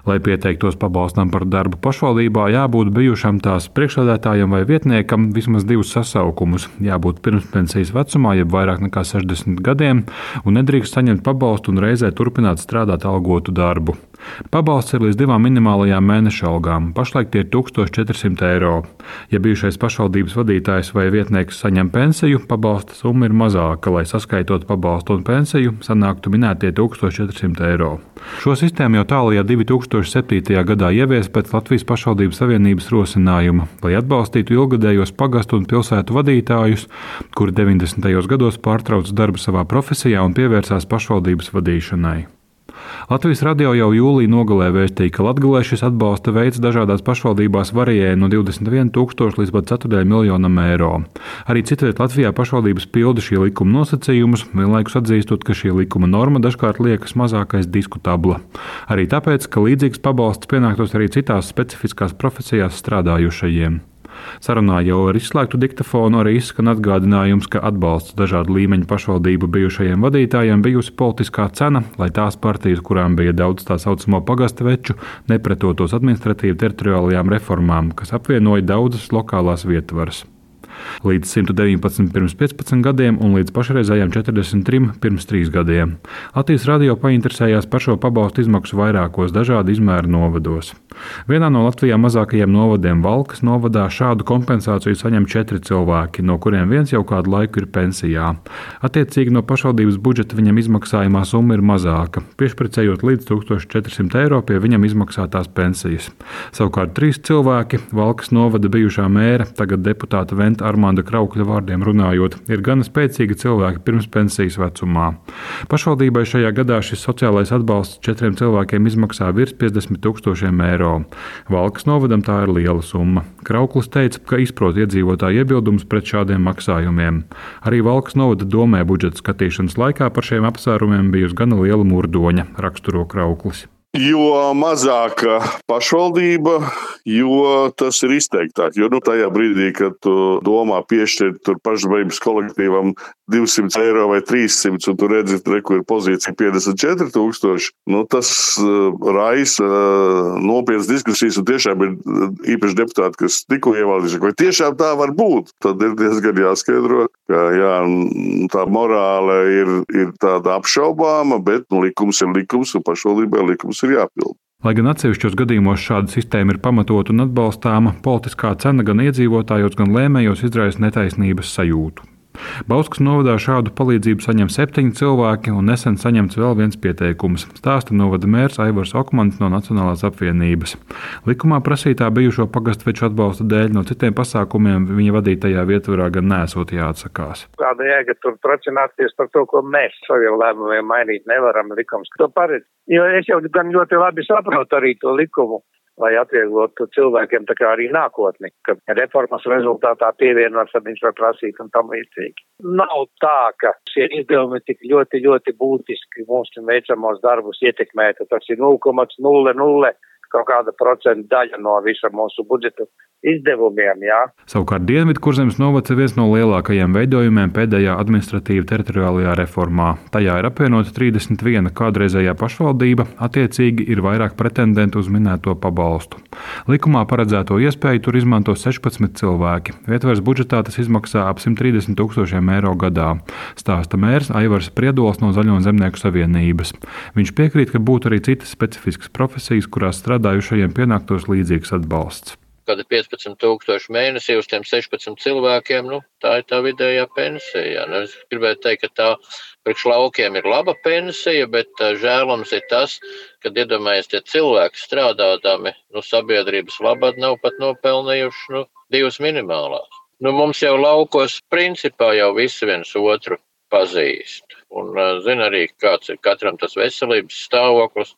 Lai pieteiktos pabalstam par darbu pašvaldībā, jābūt bijušam tās priekšsēdētājam vai vietniekam vismaz 2 sasaukumus, jābūt pirmspensijas vecumā, jeb vairāk nekā 60 gadiem, un nedrīkst saņemt pabalstu un reizē turpināt strādāt algotu darbu. Pabalsts ir līdz 2 minimālajām mēneša algām. Pašlaik tie ir 1400 eiro. Ja bijušais pašvaldības vadītājs vai vietnieks saņem pensiju, pabalsta summa ir mazāka, lai saskaitot pabalstu un pensiju, sanāktu minētie 1400 eiro. Šo sistēmu jau tālajā 2007. gadā ievies pēc Latvijas pašvaldības savienības rosinājuma, lai atbalstītu ilgadējos pagastu un pilsētu vadītājus, kuri 90. gados pārtrauca darbu savā profesijā un pievērsās pašvaldības vadīšanai. Latvijas radio jau jūlijā nogalē vēstīja, ka Latgalē šis atbalsta veids dažādās pašvaldībās varēja no 21 000 līdz pat 4 miljonam eiro. Arī citviet Latvijā pašvaldības pilda šī likuma nosacījumus, vienlaikus atzīstot, ka šī likuma norma dažkārt liekas mazākais diskutabla. Arī tāpēc, ka līdzīgs pabalsts pienāktos arī citās specifiskās profesijās strādājušajiem. Sarunā jau ar izslēgtu diktafonu arī izskan atgādinājums, ka atbalsts dažādu līmeņu pašvaldību bijušajiem vadītājiem bijusi politiskā cena, lai tās partijas, kurām bija daudz tā saucamo pagasta veču, nepretotos administratīvi teritoriālajām reformām, kas apvienoja daudzas lokālās vietvaras. Līdz 119 pirms 15 gadiem un līdz pašreizējiem 43 pirms 3 gadiem. Latvijas radio painteresējās par šo pabalstu izmaksu vairākos dažādu izmēru novados. Vienā no Latvijā mazākajiem novadiem, Valkas novadā, šādu kompensāciju saņem 4 cilvēki, no kuriem viens jau kādu laiku ir pensijā. Attiecīgi no pašvaldības budžeta viņam izmaksājumā summa ir mazāka, piešpricējot līdz 1400 eiro pie viņam izmaksātās pensijas. Savukārt 3 cilvēki, Valkas novada bijušā mēra, tagad deputāta Venta Armanda Kraukļa vārdiem runājot, ir gana spēcīgi cilvēki pirms pensijas vecumā. Pašvaldībai šajā gadā šis sociālais atbalsts 4 cilvēkiem izmaksā virs 50 000 eiro. Valkas novadam tā ir liela summa. Krauklis teica, ka izprot iedzīvotāju iebildumus pret šādiem maksājumiem. Arī Valkas novada domē budžeta skatīšanas laikā par šiem apsvērumiem bijusi gana liela murdoņa, raksturo Krauklis. Jo mazāka pašvaldība, jo tas ir izteiktāk. Jo tajā brīdī, kad tu domā piešķirt pašvaldības kolektīvam 200 eiro vai 300, un tu redzi, kur ir pozīcija 54 000, tas raisa nopietnas diskusijas, un tiešām ir īpaši deputāti, kas tikko ievēlējušies, vai tiešām tā var būt. Tad ir diezgan jāskaidro, ka tā morāle ir tāda apšaubāma, bet likums ir likums, un pašvaldībai likums ir jāpilda. Lai gan atsevišķos gadījumos šāda sistēma ir pamatota un atbalstāma, politiskā cena gan iedzīvotājos, gan lēmējos izraisa netaisnības sajūtu. Bauskas novadā šādu palīdzību saņem 7 cilvēki un nesen saņemts vēl viens pieteikums, stāsta novada mērs Aivars Okmanis no Nacionālās apvienības. Likumā prasītā bijušo pagastveču atbalsta dēļ no citiem pasākumiem viņa vadītajā vietvarā gan nesot jāatsakās. Kāda jēga tur tracināties par to, ko mēs saviem lēmumiem mainīt nevaram, likums to paredz. Jo es jau gan ļoti labi saprotu arī to likumu, lai atvieglotu cilvēkiem tā kā arī nākotni, ka reformas rezultātā pievienots, tad viņš var prasīt un tam līdzīgi. Nav tā, ka šie izdevumi tik ļoti, ļoti būtiski mūsu veicamos darbus ietekmētu. Tas ir 0,00 kaut kāda procenta daļa no visa mūsu budžeta izdevumiem, jā. Savukārt Dienvidkurzemes novads ir viens no lielākajiem veidojumiem pēdējā administratīva teritoriālajā reformā. Tajā ir apvienota 31 kādreizējā pašvaldība, attiecīgi ir vairāk pretendentu uz minēto pabalstu. Likumā paredzēto iespēju tur izmanto 16 cilvēki. Vietvaras budžetā tas izmaksā ap 130 000 eiro gadā, stāsta mērs Aivars Priedols no Zaļo zemnieku savienības. Viņš piekrīt, ka būtu arī citas specifiskas profesijas, kurās strādājušajiem pienāktos līdzīgs atbalsts. Kad ir 15 000 mēnesī uz tiem 16 cilvēkiem, tā ir tā vidējā pensija. Es gribētu teikt, ka tā priekš laukiem ir laba pensija, bet žēlams ir tas, kad iedomājies tie cilvēki strādādami, sabiedrības labad nav pat nopelnījuši 2 minimālās. Mums jau laukos principā jau visi viens otru pazīst. Un zina arī, kāds ir katram tas veselības stāvoklis.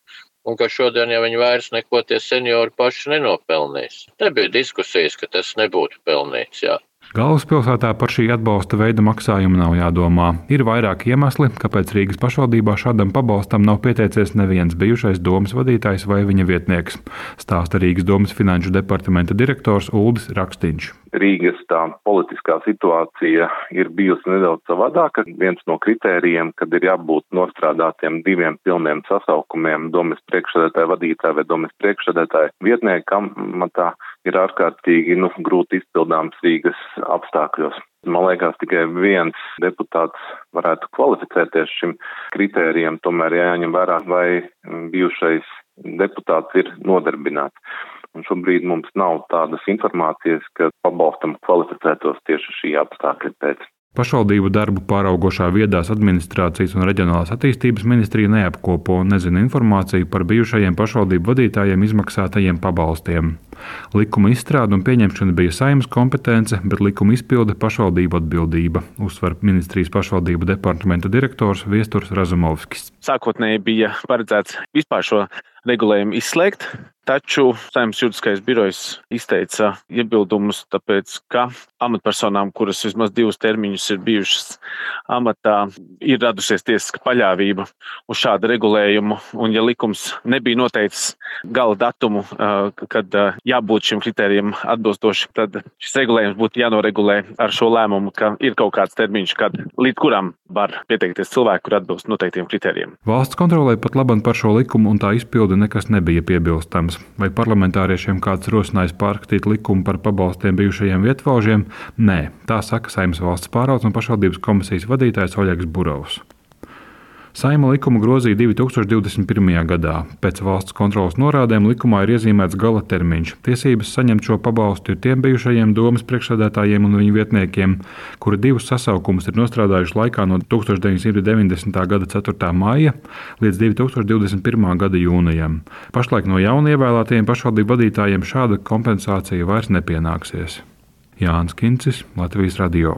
Un ka šodien, ja viņi vairs neko tie seniori paši nenopelnīs. Te bija diskusijas, ka tas nebūtu pelnīts, jā. Galvaspilsētā par šī atbalsta veida maksājumu nav jādomā. Ir vairāki iemesli, kāpēc Rīgas pašvaldībā šādam pabalstam nav pieteicies neviens bijušais domes vadītājs vai viņa vietnieks, stāsta Rīgas domes finanšu departamenta direktors Uldis Rakstiņš. Rīgas tā politiskā situācija ir bijusi nedaudz savādāka. Viens no kritērijiem, kad ir jābūt nostrādātiem 2 pilniem sasaukumiem domes priekšsēdētāja vadītāja vai domes priekšsēdētāja vietniekam, matā ir ārkārtīgi grūti izpildāms Rīgas apstākļos. Man liekas, tikai viens deputāts varētu kvalificēties šim kritērijam, tomēr jāņem vērā, vai bijušais deputāts ir nodarbināts. Un šobrīd mums nav tādas informācijas, ka pabalstam kvalificētos tieši šī apstākļa pēc. Pašvaldību darbu pāraugošā viedās administrācijas un reģionālās attīstības ministrija neapkopo un nezina informāciju par bijušajiem pašvaldību vadītājiem izmaksātajiem pabalstiem. Likuma izstrāde un pieņemšana bija Saeimas kompetence, bet likuma izpilde pašvaldību atbildība, uzsver ministrijas pašvaldību departamenta direktors Viesturs Razumovskis. Sākotnēji bija paredzēts vispār šo regulējumu izslēgt, taču Saeimas juridiskais birojs izteica iebildumus, tāpēc, ka amatpersonām, kuras vismaz 2 termiņus ir bijušas amatā, ir radusies tiesiska paļāvība uz šādu regulējumu, un ja likums nebija noteicis gala datumu, kad jābūt šim kritērijam atbilstoši, tad šis regulējums būtu jānoregulē ar šo lēmumu, ka ir kaut kāds termiņš, līdz kuram var pieteikties cilvēki, kur atbilst noteiktiem kritērijiem. Valsts kontrolē pat labam par šo likumu un tā izpildi nekas nebija piebilstams. Vai parlamentāriešiem kāds rosinājis pārskatīt likumu par pabalstiem bijušajiem vietvalžiem? Nē, tā saka Saeimas valsts pārvaldes un pašvaldības komisijas vadītājs Oļegs Burovs. Saeima likumu grozīja 2021. gadā. Pēc valsts kontroles norādēm likumā ir iezīmēts gala termiņš. Tiesības saņemt šo pabalstu ir tiem bijušajiem domes priekšsēdētājiem un viņu vietniekiem, kuri 2 sasaukumus ir nostrādājuši laikā no 1990. gada 4. maija līdz 2021. gada jūnijam. Pašlaik no jaunievēlētajiem pašvaldību vadītājiem šāda kompensācija vairs nepienāksies. Jānis Kincis, Latvijas radio.